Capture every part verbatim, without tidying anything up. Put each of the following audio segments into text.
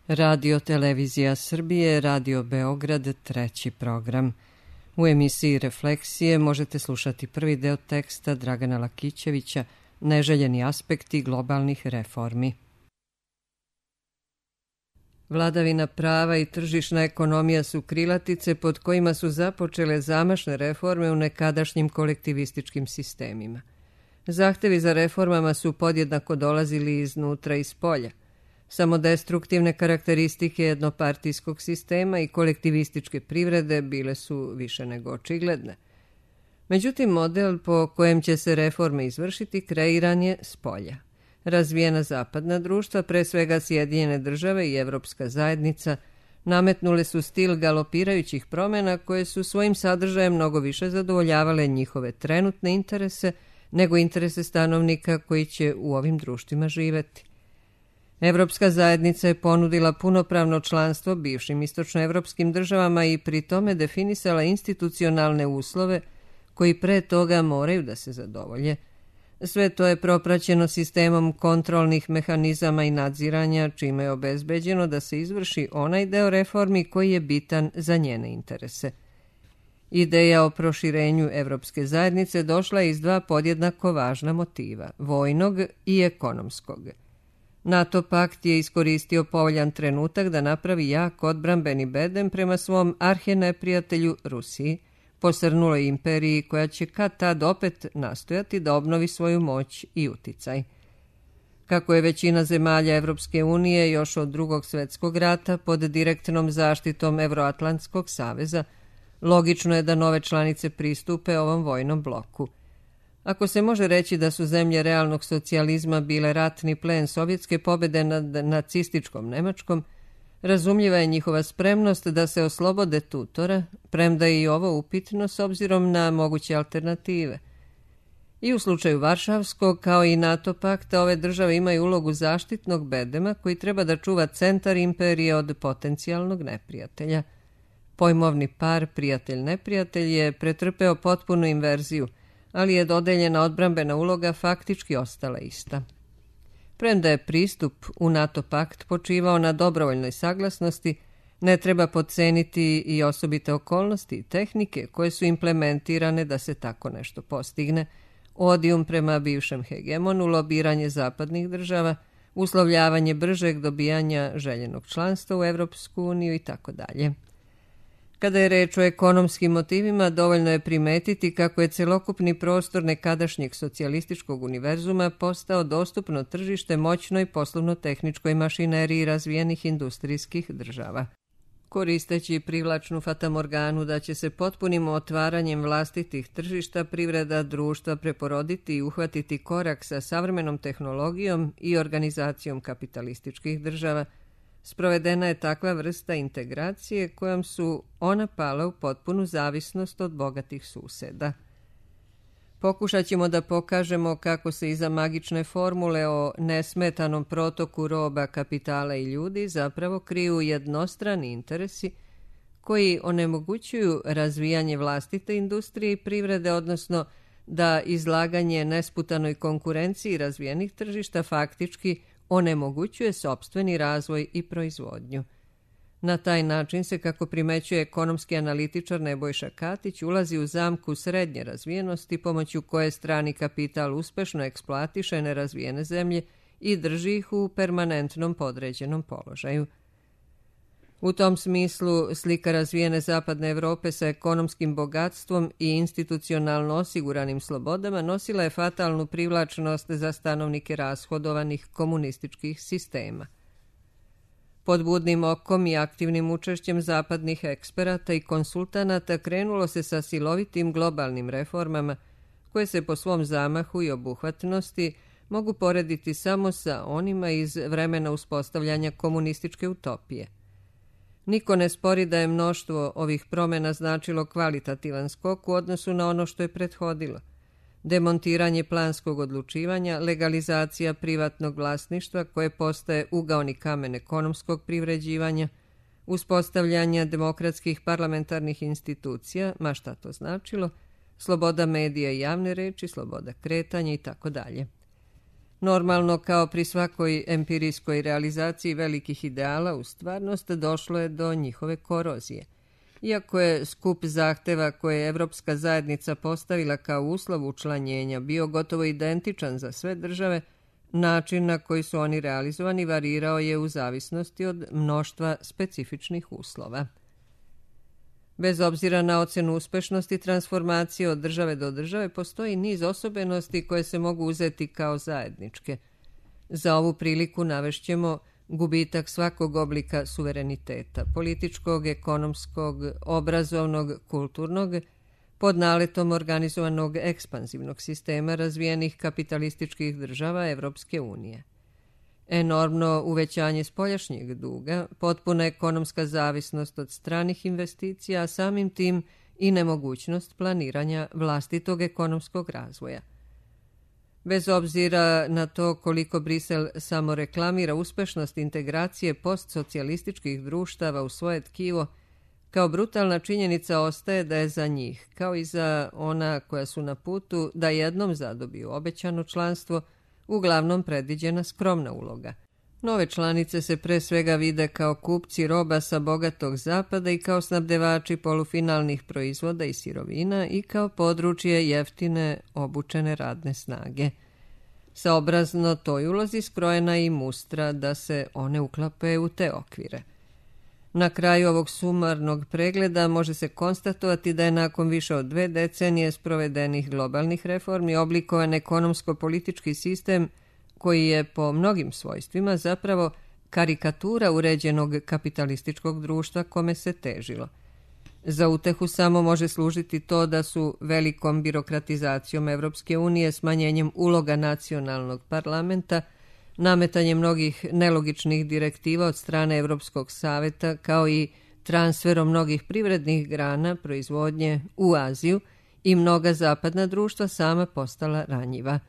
Radio Televizija Srbije, Radio Beograd, treći program. U emisiji Refleksije možete slušati prvi deo teksta Dragana Lakićevića Neželjeni aspekti globalnih reformi. Vladavina prava i tržišna ekonomija su krilatice pod kojima su započele zamašne reforme u nekadašnjim kolektivističkim sistemima. Zahtevi za reformama su podjednako dolazili iznutra i spolja. Samodestruktivne karakteristike jednopartijskog sistema i kolektivističke privrede bile su više nego očigledne. Međutim, model po kojem će se reforme izvršiti kreiran je spolja. Razvijena zapadna društva, pre svega Sjedinjene države i Evropska zajednica, nametnule su stil galopirajućih promjena koje su svojim sadržajem mnogo više zadovoljavale njihove trenutne interese nego interese stanovnika koji će u ovim društvima živeti. Evropska zajednica je ponudila punopravno članstvo bivšim istočnoevropskim državama i pri tome definisala institucionalne uslove koji pre toga moraju da se zadovolje. Sve to je propraćeno sistemom kontrolnih mehanizama i nadziranja, čime je obezbeđeno da se izvrši onaj deo reformi koji je bitan za njene interese. Ideja o proširenju Evropske zajednice došla je iz dva podjednako važna motiva, vojnog i ekonomskog. NATO pakt je iskoristio povoljan trenutak da napravi jak odbrambeni bedem prema svom arheneprijatelju Rusiji, posrnuloj imperiji koja će kad tad opet nastojati da obnovi svoju moć i uticaj. Kako je većina zemalja Evropske unije još od Drugog svjetskog rata pod direktnom zaštitom Evroatlantskog saveza, logično je da nove članice pristupe ovom vojnom bloku. Ako se može reći da su zemlje realnog socijalizma bile ratni plen sovjetske pobjede nad nacističkom Nemačkom, razumljiva je njihova spremnost da se oslobode tutora, premda je i ovo upitno s obzirom na moguće alternative. I u slučaju Varšavskog, kao i NATO pakta, ove države imaju ulogu zaštitnog bedema koji treba da čuva centar imperije od potencijalnog neprijatelja. Pojmovni par prijatelj-neprijatelj je pretrpeo potpunu inverziju, ali je dodeljena odbrambena uloga faktički ostala ista. Premda je pristup u NATO pakt počivao na dobrovoljnoj saglasnosti, ne treba podceniti i osobite okolnosti i tehnike koje su implementirane da se tako nešto postigne, odijum prema bivšem hegemonu, lobiranje zapadnih država, uslovljavanje bržeg dobijanja željenog članstva u Evropsku uniju i tako dalje. Kada je reč o ekonomskim motivima, dovoljno je primetiti kako je celokupni prostor nekadašnjeg socijalističkog univerzuma postao dostupno tržište moćnoj poslovno-tehničkoj mašineriji razvijenih industrijskih država. Koristeći privlačnu fatamorganu da će se potpunim otvaranjem vlastitih tržišta privreda društva preporoditi i uhvatiti korak sa savremenom tehnologijom i organizacijom kapitalističkih država, sprovedena je takva vrsta integracije kojom su ona pala u potpunu zavisnost od bogatih suseda. Pokušat ćemo da pokažemo kako se iza magične formule o nesmetanom protoku roba, kapitala i ljudi zapravo kriju jednostrani interesi koji onemogućuju razvijanje vlastite industrije i privrede, odnosno da izlaganje nesputanoj konkurenciji razvijenih tržišta faktički onemogućuje sopstveni razvoj i proizvodnju. Na taj način se, kako primećuje ekonomski analitičar Nebojša Katić, ulazi u zamku srednje razvijenosti pomoću koje strani kapital uspešno eksploatiše nerazvijene zemlje i drži ih u permanentnom podređenom položaju. U tom smislu slika razvijene zapadne Evrope sa ekonomskim bogatstvom i institucionalno osiguranim slobodama nosila je fatalnu privlačnost za stanovnike rashodovanih komunističkih sistema. Pod budnim okom i aktivnim učešćem zapadnih eksperata i konsultanata krenulo se sa silovitim globalnim reformama koje se po svom zamahu i obuhvatnosti mogu porediti samo sa onima iz vremena uspostavljanja komunističke utopije. Niko ne spori da je mnoštvo ovih promjena značilo kvalitativan skok u odnosu na ono što je prethodilo. Demontiranje planskog odlučivanja, legalizacija privatnog vlasništva koje postaje ugaoni kamen ekonomskog privređivanja, uspostavljanja demokratskih parlamentarnih institucija, ma šta to značilo, sloboda medija i javne reči, sloboda kretanja i tako dalje. Normalno, kao pri svakoj empirijskoj realizaciji velikih ideala, u stvarnost došlo je do njihove korozije. Iako je skup zahteva koje je Evropska zajednica postavila kao uslov učlanjenja bio gotovo identičan za sve države, način na koji su oni realizovani varirao je u zavisnosti od mnoštva specifičnih uslova. Bez obzira na ocenu uspešnosti transformacije od države do države, postoji niz osobenosti koje se mogu uzeti kao zajedničke. Za ovu priliku navešćemo gubitak svakog oblika suvereniteta, političkog, ekonomskog, obrazovnog, kulturnog, pod naletom organizovanog ekspanzivnog sistema razvijenih kapitalističkih država Evropske unije. Enormno uvećanje spoljašnjeg duga, potpuna ekonomska zavisnost od stranih investicija, a samim tim i nemogućnost planiranja vlastitog ekonomskog razvoja. Bez obzira na to koliko Brisel samo reklamira uspešnost integracije postsocijalističkih društava u svoje tkivo, kao brutalna činjenica ostaje da je za njih, kao i za ona koja su na putu da jednom zadobiju obećano članstvo, uglavnom predviđena skromna uloga. Nove članice se pre svega vide kao kupci roba sa bogatog zapada i kao snabdevači polufinalnih proizvoda i sirovina i kao područje jeftine obučene radne snage. Saobrazno toj ulozi skrojena je i mustra da se one uklape u te okvire. Na kraju ovog sumarnog pregleda može se konstatovati da je nakon više od dve decenije sprovedenih globalnih reformi oblikovan ekonomsko-politički sistem koji je po mnogim svojstvima zapravo karikatura uređenog kapitalističkog društva kome se težilo. Za utehu samo može služiti to da su velikom birokratizacijom Evropske unije, smanjenjem uloga nacionalnog parlamenta, nametanje mnogih nelogičnih direktiva od strane Evropskog saveta, kao i transferom mnogih privrednih grana proizvodnje u Aziju i mnoga zapadna društva sama postala ranjiva.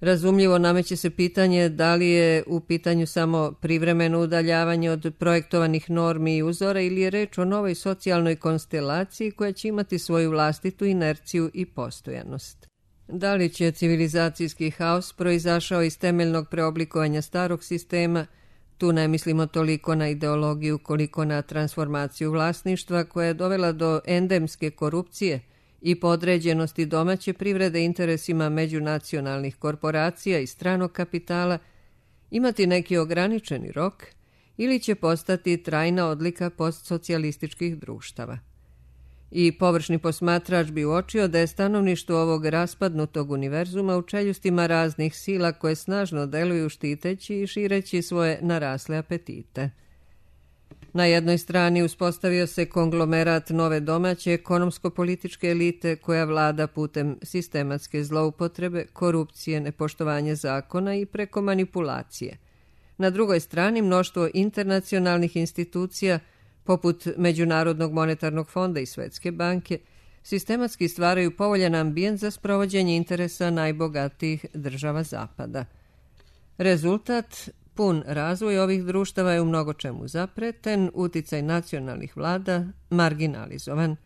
Razumljivo nameće se pitanje da li je u pitanju samo privremeno udaljavanje od projektovanih normi i uzora ili je reč o novoj socijalnoj konstelaciji koja će imati svoju vlastitu inerciju i postojanost. Da li će civilizacijski haos proizašao iz temeljnog preoblikovanja starog sistema, tu ne mislimo toliko na ideologiju koliko na transformaciju vlasništva koja je dovela do endemske korupcije i podređenosti domaće privrede interesima međunacionalnih korporacija i stranog kapitala, imati neki ograničeni rok ili će postati trajna odlika postsocijalističkih društava. I površni posmatrač bi uočio da je stanovništvo ovog raspadnutog univerzuma u čeljustima raznih sila koje snažno deluju štiteći i šireći svoje narasle apetite. Na jednoj strani uspostavio se konglomerat nove domaće ekonomsko-političke elite koja vlada putem sistematske zloupotrebe, korupcije, nepoštovanje zakona i preko manipulacije. Na drugoj strani mnoštvo internacionalnih institucija poput Međunarodnog monetarnog fonda i Svetske banke, sistematski stvaraju povoljan ambijent za sprovođenje interesa najbogatijih država Zapada. Rezultat, pun razvoj ovih društava je u mnogo čemu zapreten, uticaj nacionalnih vlada marginalizovan.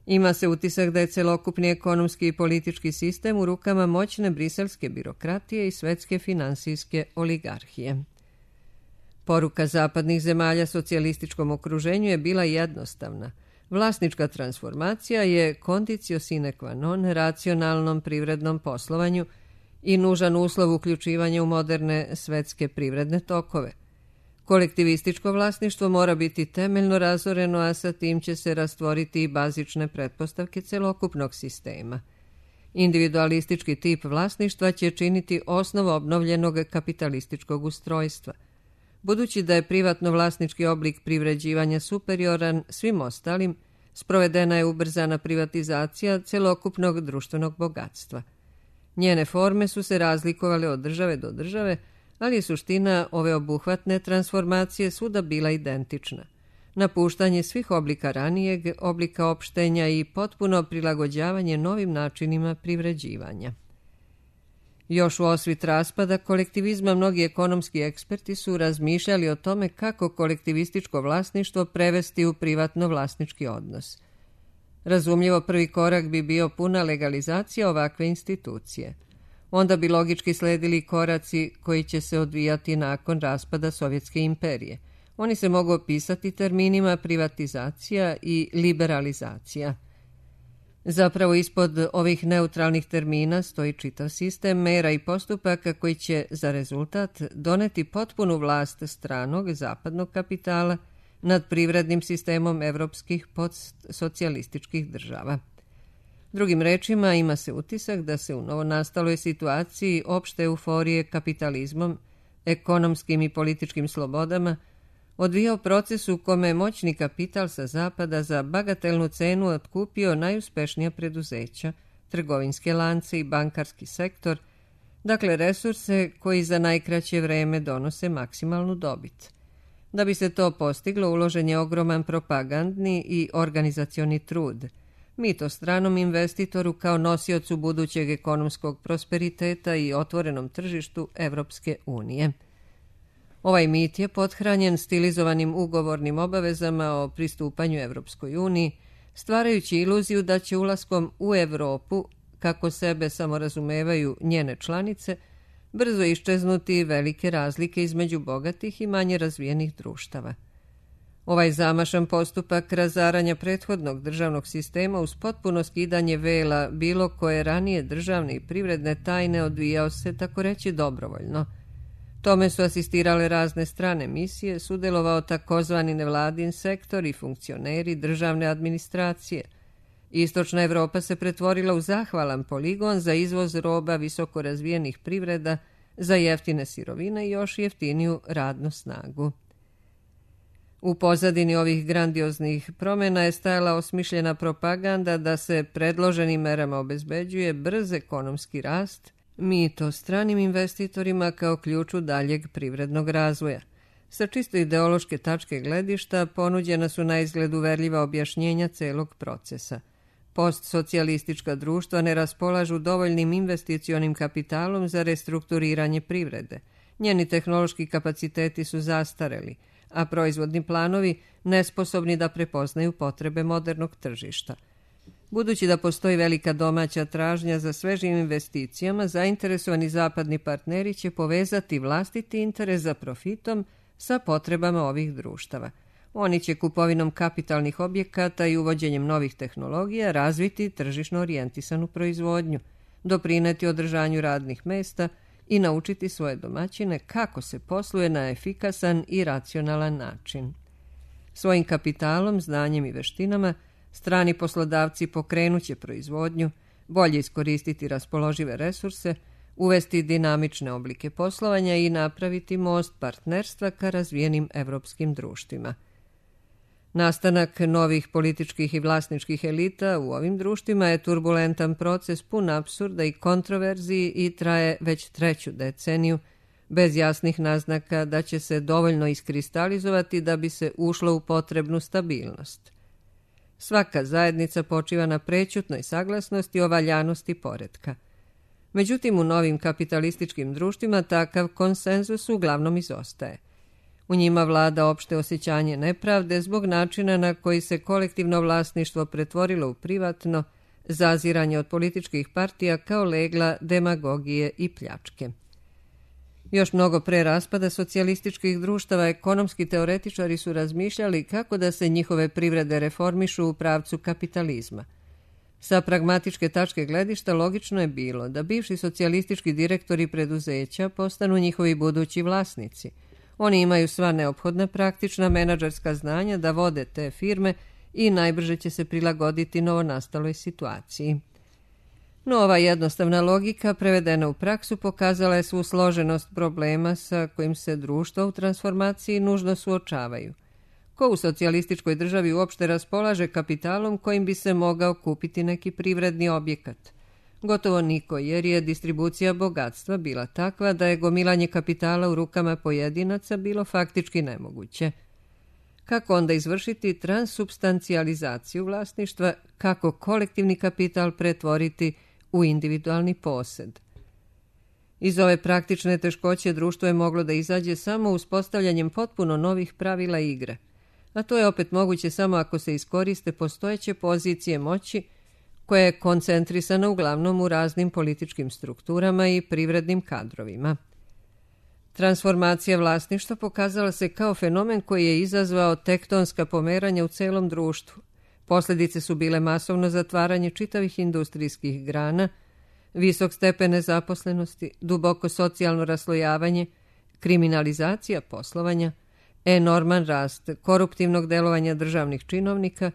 Ima se utisak da je celokupni ekonomski i politički sistem u rukama moćne briselske birokratije i svetske finansijske oligarhije. Poruka zapadnih zemalja socijalističkom okruženju je bila jednostavna. Vlasnička transformacija je conditio sine qua non racionalnom privrednom poslovanju i nužan uslov uključivanja u moderne svetske privredne tokove. Kolektivističko vlasništvo mora biti temeljno razoreno, a sa tim će se rastvoriti i bazične pretpostavke celokupnog sistema. Individualistički tip vlasništva će činiti osnovu obnovljenog kapitalističkog ustrojstva. Budući da je privatno vlasnički oblik privređivanja superioran svim ostalim, sprovedena je ubrzana privatizacija celokupnog društvenog bogatstva. Njene forme su se razlikovale od države do države, ali je suština ove obuhvatne transformacije svuda bila identična. Napuštanje svih oblika ranijeg, oblika opštenja i potpuno prilagođavanje novim načinima privređivanja. Još u osvit raspada kolektivizma mnogi ekonomski eksperti su razmišljali o tome kako kolektivističko vlasništvo prevesti u privatno vlasnički odnos. Razumljivo prvi korak bi bio puna legalizacija ovakve institucije. Onda bi logički sledili koraci koji će se odvijati nakon raspada Sovjetske imperije. Oni se mogu opisati terminima privatizacija i liberalizacija. Zapravo ispod ovih neutralnih termina stoji čitav sistem mera i postupaka koji će za rezultat doneti potpunu vlast stranog zapadnog kapitala nad privrednim sistemom evropskih postsocijalističkih država. Drugim rečima, ima se utisak da se u novonastaloj situaciji opšte euforije kapitalizmom, ekonomskim i političkim slobodama odvijao proces u kome je moćni kapital sa zapada za bagatelnu cenu otkupio najuspešnija preduzeća, trgovinske lance i bankarski sektor, dakle resurse koji za najkraće vreme donose maksimalnu dobit. Da bi se to postiglo, uložen je ogroman propagandni i organizacioni trud. Mito stranom investitoru kao nosiocu budućeg ekonomskog prosperiteta i otvorenom tržištu Evropske unije. Ovaj mit je pothranjen stilizovanim ugovornim obavezama o pristupanju Evropskoj uniji, stvarajući iluziju da će ulaskom u Evropu, kako sebe samorazumevaju njene članice, brzo iščeznuti velike razlike između bogatih i manje razvijenih društava. Ovaj zamašan postupak razaranja prethodnog državnog sistema uz potpuno skidanje vela bilo koje ranije državne i privredne tajne odvijao se, tako reći, dobrovoljno. Tome su asistirale razne strane misije, sudelovao takozvani nevladin sektor i funkcioneri državne administracije. Istočna Evropa se pretvorila u zahvalan poligon za izvoz roba visoko razvijenih privreda, za jeftine sirovine i još jeftiniju radnu snagu. U pozadini ovih grandioznih promjena je stajala osmišljena propaganda da se predloženim merama obezbeđuje brz ekonomski rast, mito stranim investitorima kao ključu daljeg privrednog razvoja. Sa čisto ideološke tačke gledišta ponuđena su na izgled uverljiva objašnjenja celog procesa. Postsocijalistička društva ne raspolažu dovoljnim investicionim kapitalom za restrukturiranje privrede. Njeni tehnološki kapaciteti su zastareli, a proizvodni planovi nesposobni da prepoznaju potrebe modernog tržišta. Budući da postoji velika domaća tražnja za svežim investicijama, zainteresovani zapadni partneri će povezati vlastiti interes za profitom sa potrebama ovih društava. Oni će kupovinom kapitalnih objekata i uvođenjem novih tehnologija razviti tržišno orijentisanu proizvodnju, doprineti održanju radnih mesta i naučiti svoje domaćine kako se posluje na efikasan i racionalan način. Svojim kapitalom, znanjem i veštinama strani poslodavci pokrenuće proizvodnju, bolje iskoristiti raspoložive resurse, uvesti dinamične oblike poslovanja i napraviti most partnerstva ka razvijenim evropskim društvima. Nastanak novih političkih i vlasničkih elita u ovim društvima je turbulentan proces pun apsurda i kontroverziji i traje već treću deceniju, bez jasnih naznaka da će se dovoljno iskristalizovati da bi se ušlo u potrebnu stabilnost. Svaka zajednica počiva na prećutnoj saglasnosti o valjanosti poretka. Međutim, u novim kapitalističkim društvima takav konsenzus uglavnom izostaje. U njima vlada opšte osjećanje nepravde zbog načina na koji se kolektivno vlasništvo pretvorilo u privatno, zaziranje od političkih partija kao legla demagogije i pljačke. Još mnogo pre raspada socijalističkih društava ekonomski teoretičari su razmišljali kako da se njihove privrede reformišu u pravcu kapitalizma. Sa pragmatičke tačke gledišta logično je bilo da bivši socijalistički direktori preduzeća postanu njihovi budući vlasnici. Oni imaju sva neophodna praktična menadžerska znanja da vode te firme i najbrže će se prilagoditi novonastaloj situaciji. No ova jednostavna logika prevedena u praksu pokazala je svu složenost problema sa kojim se društva u transformaciji nužno suočavaju. Ko u socijalističkoj državi uopšte raspolaže kapitalom kojim bi se mogao kupiti neki privredni objekat? Gotovo niko, jer je distribucija bogatstva bila takva da je gomilanje kapitala u rukama pojedinaca bilo faktički nemoguće. Kako onda izvršiti transsubstancijalizaciju vlasništva, kako kolektivni kapital pretvoriti u individualni posed? Iz ove praktične teškoće društvo je moglo da izađe samo uspostavljanjem potpuno novih pravila igre, a to je opet moguće samo ako se iskoriste postojeće pozicije moći koja je koncentrisana uglavnom u raznim političkim strukturama i privrednim kadrovima. Transformacija vlasništva pokazala se kao fenomen koji je izazvao tektonska pomeranja u celom društvu. Posljedice su bile masovno zatvaranje čitavih industrijskih grana, visok stepen nezaposlenosti, duboko socijalno raslojavanje, kriminalizacija poslovanja, enorman rast koruptivnog delovanja državnih činovnika,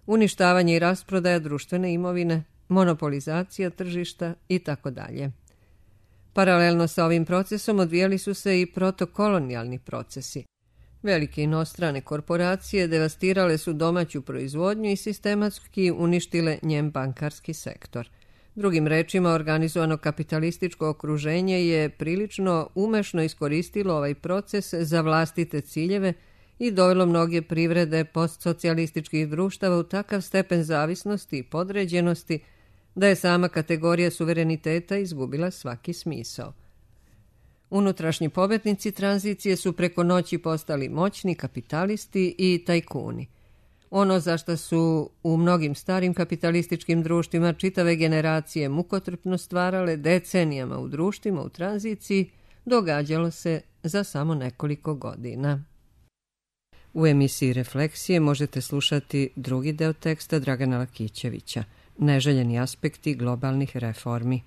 uništavanje i rasprodaja društvene imovine, monopolizacija tržišta itd. Paralelno sa ovim procesom odvijali su se i protokolonijalni procesi. Velike inostrane korporacije devastirale su domaću proizvodnju i sistematski uništile njen bankarski sektor. Drugim rečima, organizovano kapitalističko okruženje je prilično umešno iskoristilo ovaj proces za vlastite ciljeve i dovelo mnoge privrede postsocijalističkih društava u takav stepen zavisnosti i podređenosti da je sama kategorija suvereniteta izgubila svaki smisao. Unutrašnji pobednici tranzicije su preko noći postali moćni kapitalisti i tajkuni. Ono za što su u mnogim starim kapitalističkim društvima čitave generacije mukotrpno stvarale decenijama u društvima u tranziciji, događalo se za samo nekoliko godina. U emisiji Refleksije možete slušati drugi deo teksta Dragana Lakićevića, Neželjeni aspekti globalnih reformi.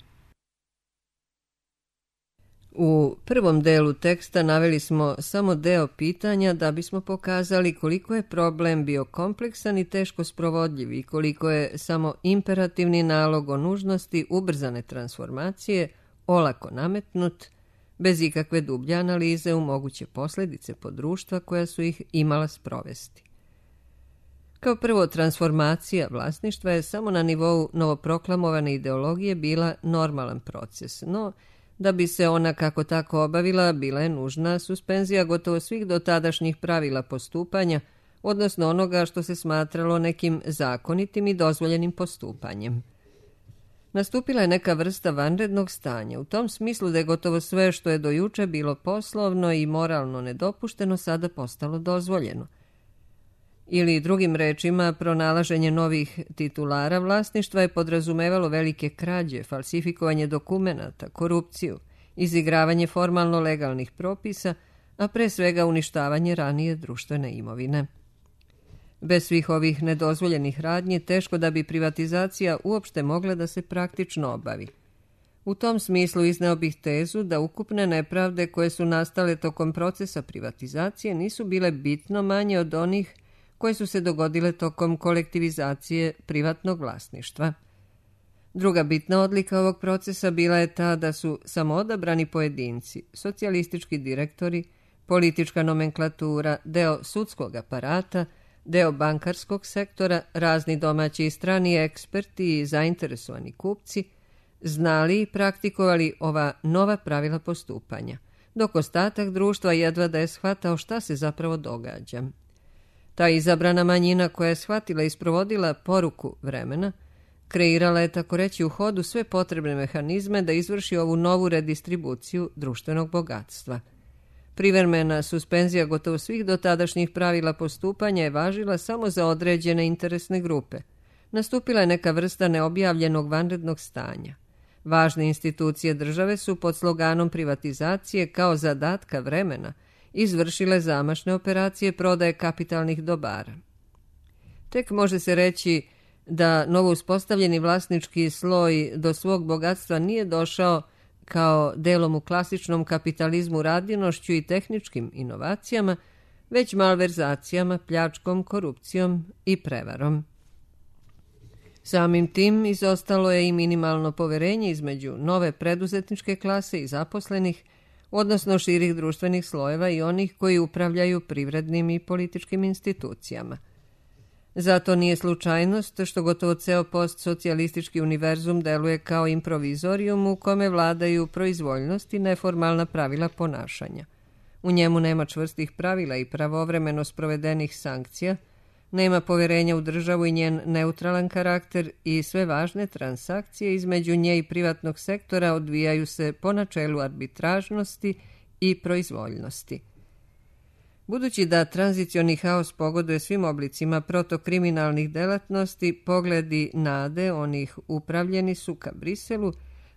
U prvom delu teksta naveli smo samo deo pitanja da bismo pokazali koliko je problem bio kompleksan i teško sprovodljiv i koliko je samo imperativni nalog o nužnosti ubrzane transformacije olako nametnut, bez ikakve dublje analize u moguće posljedice po društva koja su ih imala sprovesti. Kao prvo, transformacija vlasništva je samo na nivou novoproklamovane ideologije bila normalan proces, no da bi se ona kako tako obavila, bila je nužna suspenzija gotovo svih dotadašnjih pravila postupanja, odnosno onoga što se smatralo nekim zakonitim i dozvoljenim postupanjem. Nastupila je neka vrsta vanrednog stanja, u tom smislu da je gotovo sve što je do juče bilo poslovno i moralno nedopušteno sada postalo dozvoljeno. Ili drugim rečima, pronalaženje novih titulara vlasništva je podrazumevalo velike krađe, falsifikovanje dokumenata, korupciju, izigravanje formalno legalnih propisa, a pre svega uništavanje ranije društvene imovine. Bez svih ovih nedozvoljenih radnji teško da bi privatizacija uopšte mogla da se praktično obavi. U tom smislu izneo bih tezu da ukupne nepravde koje su nastale tokom procesa privatizacije nisu bile bitno manje od onih koje su se dogodile tokom kolektivizacije privatnog vlasništva. Druga bitna odlika ovog procesa bila je ta da su samoodabrani pojedinci, socijalistički direktori, politička nomenklatura, deo sudskog aparata, deo bankarskog sektora, razni domaći i strani eksperti i zainteresovani kupci, znali i praktikovali ova nova pravila postupanja, dok ostatak društva jedva da je shvatao šta se zapravo događa. Ta izabrana manjina koja je shvatila i sprovodila poruku vremena, kreirala je tako reći u hodu sve potrebne mehanizme da izvrši ovu novu redistribuciju društvenog bogatstva. Privremena suspenzija gotovo svih dotadašnjih pravila postupanja je važila samo za određene interesne grupe. Nastupila je neka vrsta neobjavljenog vanrednog stanja. Važne institucije države su pod sloganom privatizacije kao zadatka vremena izvršile zamašne operacije prodaje kapitalnih dobara. Tek može se reći da novo uspostavljeni vlasnički sloj do svog bogatstva nije došao kao delom u klasičnom kapitalizmu radinošću i tehničkim inovacijama, već malverzacijama, pljačkom, korupcijom i prevarom. Samim tim izostalo je i minimalno poverenje između nove preduzetničke klase i zaposlenih, odnosno širih društvenih slojeva i onih koji upravljaju privrednim i političkim institucijama. Zato nije slučajnost što gotovo ceo postsocijalistički univerzum deluje kao improvizorijum u kome vladaju proizvoljnost i neformalna pravila ponašanja. U njemu nema čvrstih pravila i pravovremeno sprovedenih sankcija, nema poverenja u državu i njen neutralan karakter i sve važne transakcije između nje i privatnog sektora odvijaju se po načelu arbitražnosti i proizvoljnosti. Budući da tranzicioni haos pogoduje svim oblicima protokriminalnih delatnosti, pogledi nade onih upravljeni su ka Briselu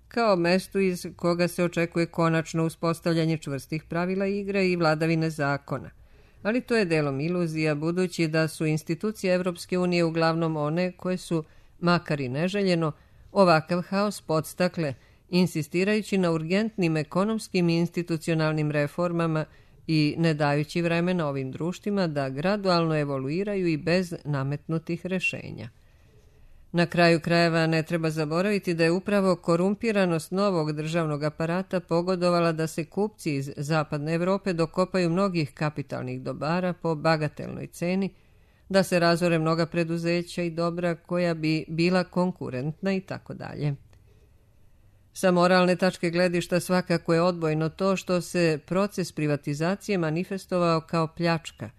kao mestu iz koga se očekuje konačno uspostavljanje čvrstih pravila igre i vladavine zakona. Ali to je delom iluzija, budući da su institucije Evropske unije uglavnom one koje su, makar i neželjeno, ovakav haos podstakle, insistirajući na urgentnim ekonomskim i institucionalnim reformama i ne dajući vremena ovim društvima da gradualno evoluiraju i bez nametnutih rešenja. Na kraju krajeva ne treba zaboraviti da je upravo korumpiranost novog državnog aparata pogodovala da se kupci iz zapadne Evrope dokopaju mnogih kapitalnih dobara po bagatelnoj ceni, da se razore mnoga preduzeća i dobra koja bi bila konkurentna i tako dalje. Sa moralne tačke gledišta svakako je odbojno to što se proces privatizacije manifestovao kao pljačka,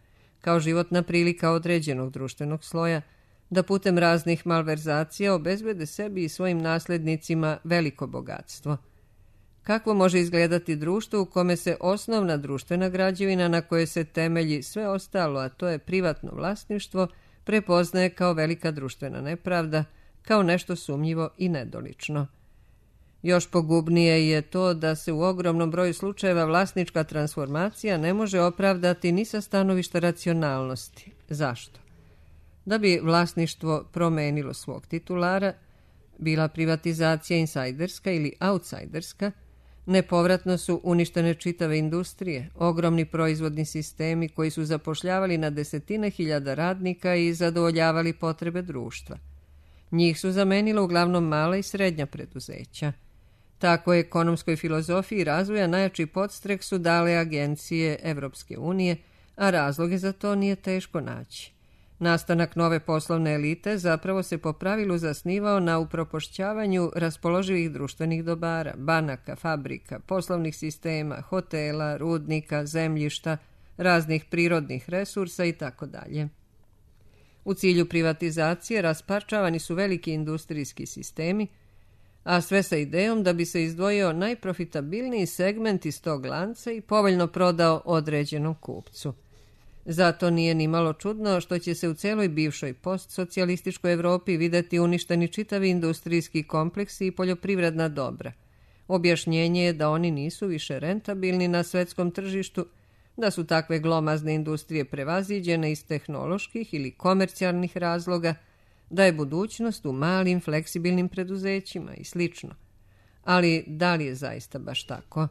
kao životna prilika određenog društvenog sloja, da putem raznih malverzacija obezbede sebi i svojim naslednicima veliko bogatstvo. Kakvo može izgledati društvo u kome se osnovna društvena građevina na kojoj se temelji sve ostalo, a to je privatno vlasništvo, prepoznaje kao velika društvena nepravda, kao nešto sumnjivo i nedolično. Još pogubnije je to da se u ogromnom broju slučajeva vlasnička transformacija ne može opravdati ni sa stanovišta racionalnosti. Zašto? Da bi vlasništvo promenilo svog titulara, bila privatizacija insajderska ili outsajderska, nepovratno su uništene čitave industrije, ogromni proizvodni sistemi koji su zapošljavali na desetine hiljada radnika i zadovoljavali potrebe društva. Njih su zamenila uglavnom mala i srednja preduzeća. Tako je ekonomskoj filozofiji razvoja najjači podstrek su dale agencije Evropske unije, a razloge za to nije teško naći. Nastanak nove poslovne elite zapravo se po pravilu zasnivao na upropošćavanju raspoloživih društvenih dobara, banaka, fabrika, poslovnih sistema, hotela, rudnika, zemljišta, raznih prirodnih resursa itd. U cilju privatizacije rasparčavani su veliki industrijski sistemi, a sve sa idejom da bi se izdvojio najprofitabilniji segment iz tog lanca i povoljno prodao određenom kupcu. Zato nije ni malo čudno što će se u celoj bivšoj postsocijalističkoj Evropi videti uništeni čitavi industrijski kompleksi i poljoprivredna dobra. Objašnjenje je da oni nisu više rentabilni na svetskom tržištu, da su takve glomazne industrije prevaziđene iz tehnoloških ili komercijalnih razloga, da je budućnost u malim fleksibilnim preduzećima i slično. Ali da li je zaista baš tako?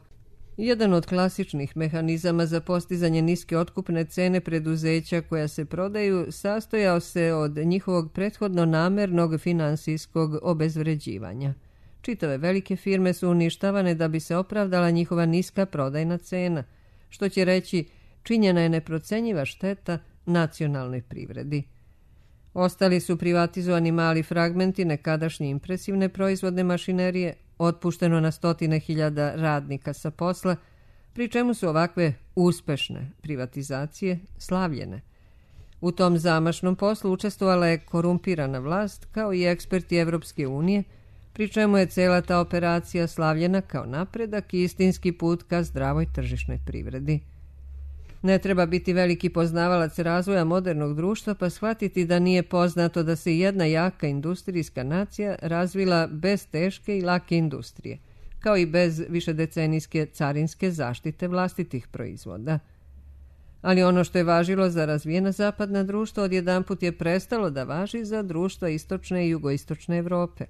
Jedan od klasičnih mehanizama za postizanje niske otkupne cene preduzeća koja se prodaju sastojao se od njihovog prethodno namernog finansijskog obezvređivanja. Čitave velike firme su uništavane da bi se opravdala njihova niska prodajna cena, što će reći činjena je neprocenjiva šteta nacionalnoj privredi. Ostali su privatizovani mali fragmenti nekadašnje impresivne proizvodne mašinerije, otpušteno na stotine hiljada radnika sa posla, pri čemu su ovakve uspešne privatizacije slavljene. U tom zamašnom poslu učestvovala je korumpirana vlast kao i eksperti Evropske unije, pri čemu je cela ta operacija slavljena kao napredak i istinski put ka zdravoj tržišnoj privredi. Ne treba biti veliki poznavalac razvoja modernog društva pa shvatiti da nije poznato da se jedna jaka industrijska nacija razvila bez teške i lake industrije, kao i bez višedecenijske carinske zaštite vlastitih proizvoda. Ali ono što je važilo za razvijena zapadna društva odjedanput je prestalo da važi za društva istočne i jugoistočne Evrope.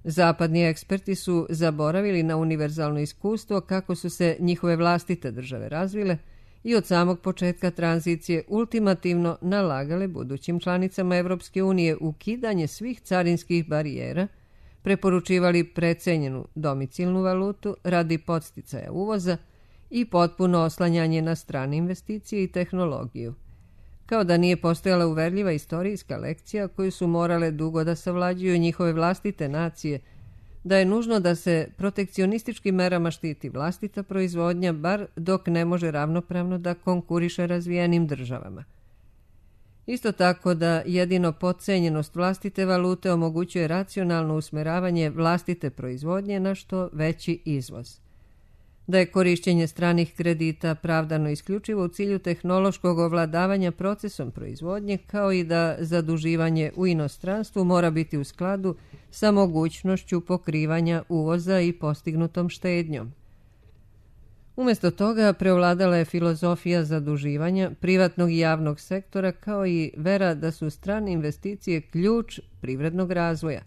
Zapadni eksperti su zaboravili na univerzalno iskustvo kako su se njihove vlastite države razvile i od samog početka tranzicije ultimativno nalagale budućim članicama Evropske unije ukidanje svih carinskih barijera, preporučivali precenjenu domicilnu valutu radi podsticaja uvoza i potpuno oslanjanje na strane investicije i tehnologiju. Kao da nije postojala uverljiva istorijska lekcija koju su morale dugo da savlađuju njihove vlastite nacije, da je nužno da se protekcionističkim merama štiti vlastita proizvodnja, bar dok ne može ravnopravno da konkuriše razvijenim državama. Isto tako da jedino podcenjenost vlastite valute omogućuje racionalno usmeravanje vlastite proizvodnje na što veći izvoz. da je korišćenje stranih kredita pravdano isključivo u cilju tehnološkog ovladavanja procesom proizvodnje, kao i da zaduživanje u inostranstvu mora biti u skladu sa mogućnošću pokrivanja uvoza i postignutom štednjom. Umjesto toga preovladala je filozofija zaduživanja privatnog i javnog sektora, kao i vera da su strane investicije ključ privrednog razvoja.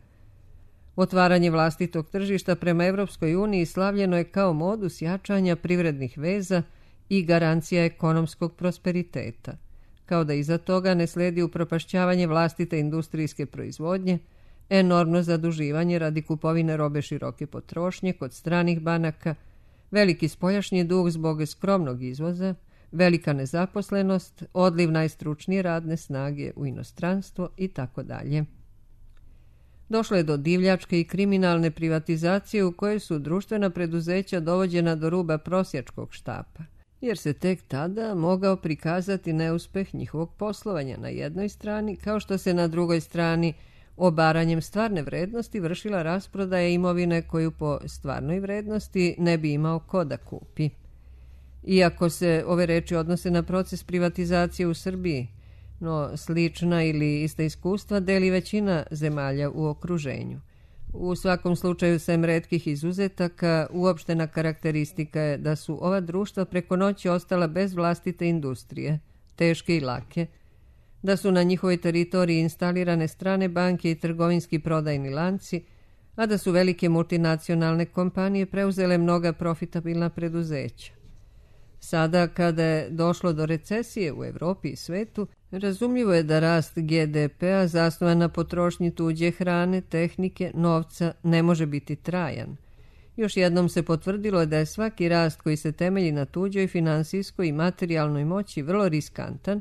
Otvaranje vlastitog tržišta prema Evropskoj uniji slavljeno je kao modus jačanja privrednih veza i garancija ekonomskog prosperiteta, kao da iza toga ne sledi upropašćavanje vlastite industrijske proizvodnje, enormno zaduživanje radi kupovine robe široke potrošnje kod stranih banaka, veliki spoljašnji dug zbog skromnog izvoza, velika nezaposlenost, odliv najstručnije radne snage u inostranstvo i tako dalje. Došlo je do divljačke i kriminalne privatizacije u kojoj su društvena preduzeća dovođena do ruba prosjačkog štapa, jer se tek tada mogao prikazati neuspeh njihovog poslovanja na jednoj strani, kao što se na drugoj strani obaranjem stvarne vrednosti vršila rasprodaja imovine koju po stvarnoj vrednosti ne bi imao ko da kupi. Iako se ove reči odnose na proces privatizacije u Srbiji, no slična ili ista iskustva deli većina zemalja u okruženju. U svakom slučaju, sem retkih izuzetaka, uopštena karakteristika je da su ova društva preko noći ostala bez vlastite industrije, teške i lake, da su na njihovoj teritoriji instalirane strane banke i trgovinski prodajni lanci, a da su velike multinacionalne kompanije preuzele mnoga profitabilna preduzeća. Sada, kada je došlo do recesije u Evropi i svetu, razumljivo je da rast G D P-a zasnovan na potrošnji tuđe hrane, tehnike, novca ne može biti trajan. Još jednom se potvrdilo da je svaki rast koji se temelji na tuđoj finansijskoj i materijalnoj moći vrlo riskantan,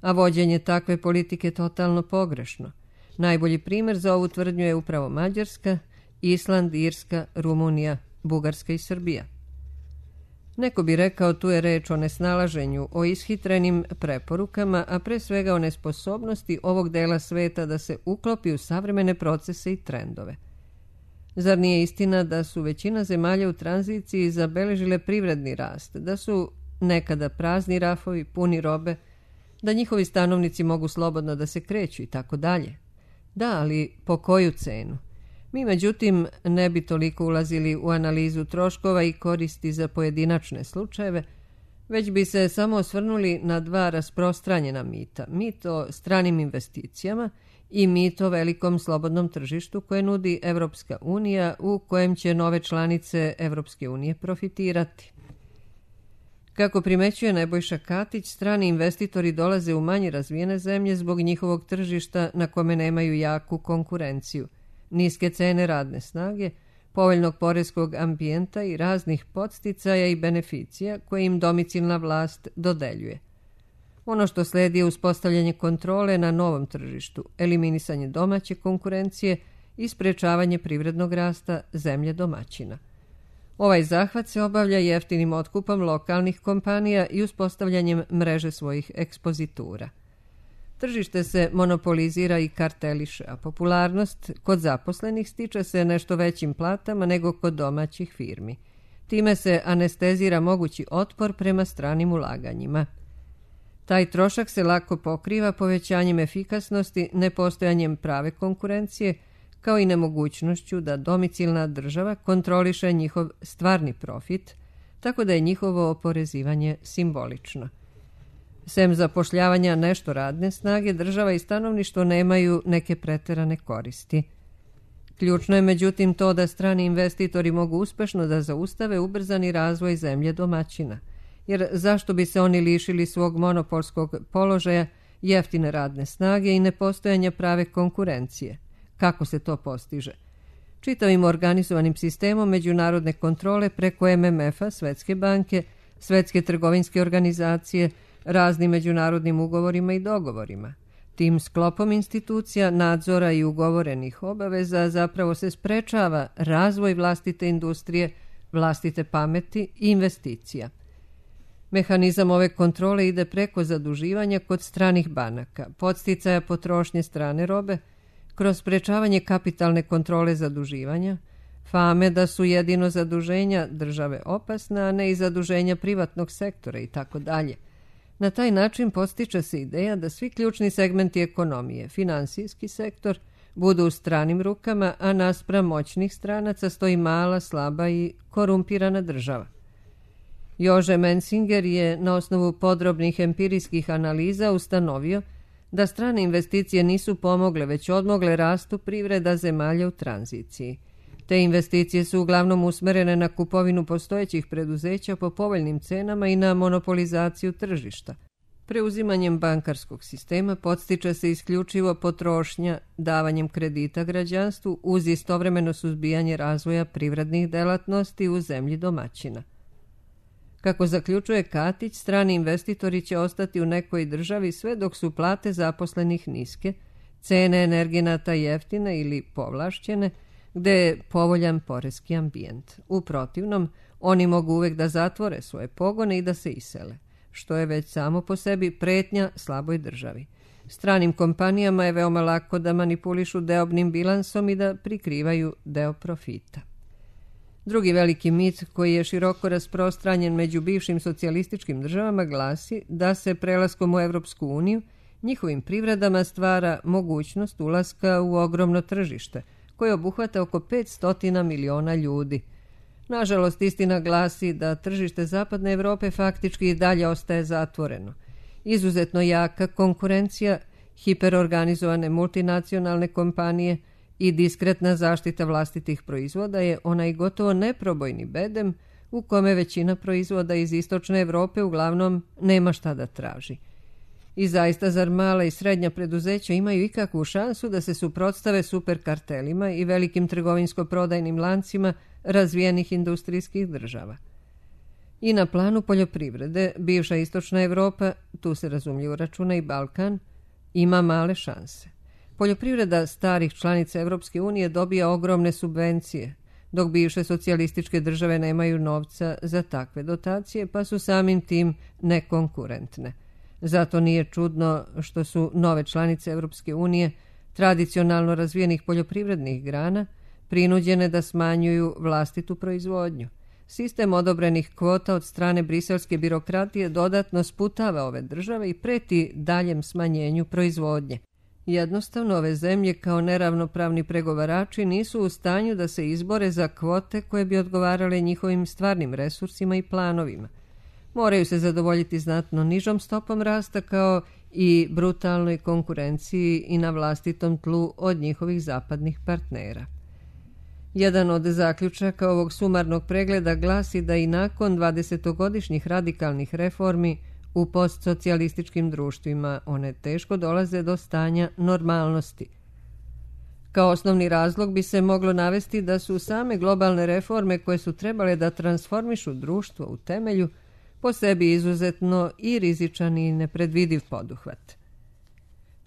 a vođenje takve politike totalno pogrešno. Najbolji primjer za ovu tvrdnju je upravo Mađarska, Island, Irska, Rumunija, Bugarska i Srbija. Neko bi rekao tu je reč o nesnalaženju, o ishitrenim preporukama, a pre svega o nesposobnosti ovog dela sveta da se uklopi u savremene procese i trendove. Zar nije istina da su većina zemalja u tranziciji zabeležile privredni rast, da su nekada prazni rafovi, puni robe, da njihovi stanovnici mogu slobodno da se kreću i tako dalje? Da, ali po koju cenu? Mi, međutim, ne bi toliko ulazili u analizu troškova i koristi za pojedinačne slučajeve, već bi se samo osvrnuli na dva rasprostranjena mita. Mit o stranim investicijama i mit o velikom slobodnom tržištu koje nudi Evropska unija, u kojem će nove članice Evropske unije profitirati. Kako primećuje Nebojša Katić, strani investitori dolaze u manje razvijene zemlje zbog njihovog tržišta na kome nemaju jaku konkurenciju, niske cene radne snage, povoljnog poreskog ambijenta i raznih podsticaja i beneficija koje im domicilna vlast dodeljuje. Ono što sledi je uspostavljanje kontrole na novom tržištu, eliminisanje domaće konkurencije i sprečavanje privrednog rasta zemlje domaćina. Ovaj zahvat se obavlja jeftinim otkupom lokalnih kompanija i uspostavljanjem mreže svojih ekspozitura. Tržište se monopolizira i karteliše, a popularnost kod zaposlenih stiče se nešto većim platama nego kod domaćih firmi. Time se anestezira mogući otpor prema stranim ulaganjima. Taj trošak se lako pokriva povećanjem efikasnosti, nepostojanjem prave konkurencije, kao i nemogućnošću da domicilna država kontroliše njihov stvarni profit, tako da je njihovo oporezivanje simbolično. Sem zapošljavanja nešto radne snage, država i stanovništvo nemaju neke preterane koristi. Ključno je međutim to da strani investitori mogu uspešno da zaustave ubrzani razvoj zemlje domaćina, jer zašto bi se oni lišili svog monopolskog položaja, jeftine radne snage i nepostojanja prave konkurencije? Kako se to postiže? Čitavim organizovanim sistemom međunarodne kontrole preko M M F-a, Svetske banke, Svetske trgovinske organizacije, raznim međunarodnim ugovorima i dogovorima. Tim sklopom institucija, nadzora i ugovorenih obaveza zapravo se sprečava razvoj vlastite industrije, vlastite pameti i investicija. Mehanizam ove kontrole ide preko zaduživanja kod stranih banaka, podsticaja potrošnje strane robe, kroz sprečavanje kapitalne kontrole zaduživanja, fame da su jedino zaduženja države opasna, a ne i zaduženja privatnog sektora i tako dalje. Na taj način postiče se ideja da svi ključni segmenti ekonomije, finansijski sektor, budu u stranim rukama, a naspram moćnih stranaca stoji mala, slaba i korumpirana država. Jože Mensinger je na osnovu podrobnih empirijskih analiza ustanovio da strane investicije nisu pomogle, već odmogle rastu privreda zemalja u tranziciji. Te investicije su uglavnom usmerene na kupovinu postojećih preduzeća po povoljnim cenama i na monopolizaciju tržišta. Preuzimanjem bankarskog sistema podstiče se isključivo potrošnja davanjem kredita građanstvu uz istovremeno suzbijanje razvoja privrednih delatnosti u zemlji domaćina. Kako zaključuje Katić, strani investitori će ostati u nekoj državi sve dok su plate zaposlenih niske, cene energenata jeftine ili povlašćene, gde je povoljan poreski ambijent. U protivnom, oni mogu uvek da zatvore svoje pogone i da se isele, što je već samo po sebi pretnja slaboj državi. Stranim kompanijama je veoma lako da manipulišu deobnim bilansom i da prikrivaju deo profita. Drugi veliki mit koji je široko rasprostranjen među bivšim socijalističkim državama glasi da se prelaskom u Evropsku uniju njihovim privredama stvara mogućnost ulaska u ogromno tržište, koje obuhvata oko petsto miliona ljudi. Nažalost, istina glasi da tržište Zapadne Evrope faktički i dalje ostaje zatvoreno. Izuzetno jaka konkurencija, hiperorganizovane multinacionalne kompanije i diskretna zaštita vlastitih proizvoda je onaj gotovo neprobojni bedem u kome većina proizvoda iz istočne Evrope uglavnom nema šta da traži. I zaista, zar mala i srednja preduzeća imaju ikakvu šansu da se suprotstave superkartelima i velikim trgovinsko-prodajnim lancima razvijenih industrijskih država? I na planu poljoprivrede, bivša istočna Evropa, tu se razumljivo računa i Balkan, ima male šanse. Poljoprivreda starih članica Evropske unije dobija ogromne subvencije, dok bivše socijalističke države nemaju novca za takve dotacije, pa su samim tim nekonkurentne. Zato nije čudno što su nove članice Evropske unije tradicionalno razvijenih poljoprivrednih grana prinuđene da smanjuju vlastitu proizvodnju. Sistem odobrenih kvota od strane briselske birokratije dodatno sputava ove države i preti daljem smanjenju proizvodnje. Jednostavno, ove zemlje kao neravnopravni pregovarači nisu u stanju da se izbore za kvote koje bi odgovarale njihovim stvarnim resursima i planovima. Moraju se zadovoljiti znatno nižom stopom rasta kao i brutalnoj konkurenciji i na vlastitom tlu od njihovih zapadnih partnera. Jedan od zaključaka ovog sumarnog pregleda glasi da i nakon dvadesetogodišnjih radikalnih reformi u postsocijalističkim društvima one teško dolaze do stanja normalnosti. Kao osnovni razlog bi se moglo navesti da su same globalne reforme koje su trebale da transformišu društvo u temelju po sebi izuzetno i rizičan i nepredvidiv poduhvat.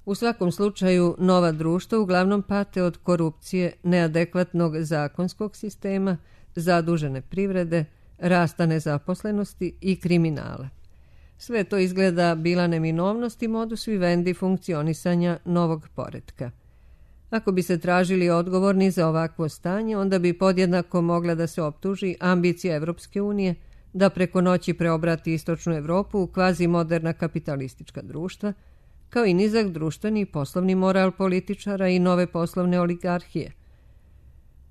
U svakom slučaju, nova društva uglavnom pate od korupcije, neadekvatnog zakonskog sistema, zadužene privrede, rasta nezaposlenosti i kriminala. Sve to izgleda bila neminovnost i modus vivendi funkcionisanja novog poretka. Ako bi se tražili odgovorni za ovakvo stanje, onda bi podjednako mogla da se optuži ambicija Evropske unije da preko noći preobrati istočnu Evropu u kvazi moderna kapitalistička društva, kao i nizak društveni i poslovni moral političara i nove poslovne oligarhije.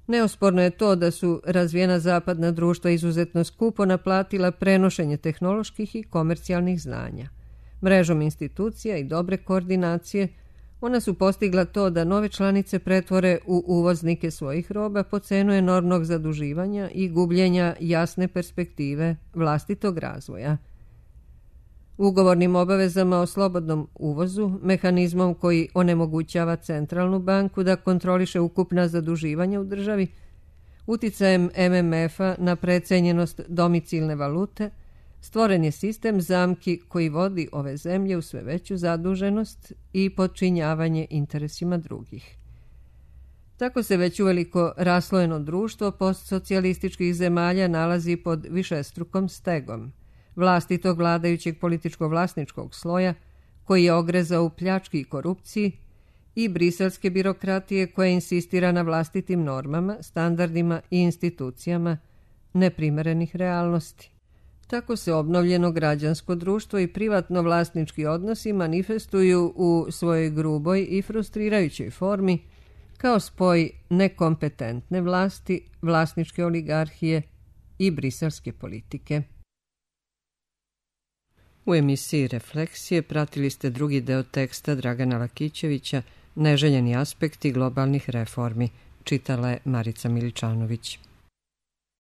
Neosporno je to da su razvijena zapadna društva izuzetno skupo naplatila prenošenje tehnoloških i komercijalnih znanja. Mrežom institucija i dobre koordinacije, ona su postigla to da nove članice pretvore u uvoznike svojih roba po cenu enormnog zaduživanja i gubljenja jasne perspektive vlastitog razvoja. Ugovornim obavezama o slobodnom uvozu, mehanizmom koji onemogućava centralnu banku da kontroliše ukupna zaduživanja u državi, uticajem M M F-a na precenjenost domicilne valute, stvoren je sistem zamki koji vodi ove zemlje u sve veću zaduženost i podčinjavanje interesima drugih. Tako se već uveliko raslojeno društvo postsocijalističkih zemalja nalazi pod višestrukom stegom vlastitog vladajućeg političko-vlasničkog sloja koji je ogrezao u pljački i korupciji i briselske birokratije koja insistira na vlastitim normama, standardima i institucijama neprimerenih realnosti. Tako se obnovljeno građansko društvo i privatno vlasnički odnosi manifestuju u svojoj gruboj i frustrirajućoj formi kao spoj nekompetentne vlasti, vlasničke oligarhije i briselske politike. U emisiji Refleksije pratili ste drugi deo teksta Dragana Lakićevića Neželjeni aspekti globalnih reformi, čitala je Marica Miličanović.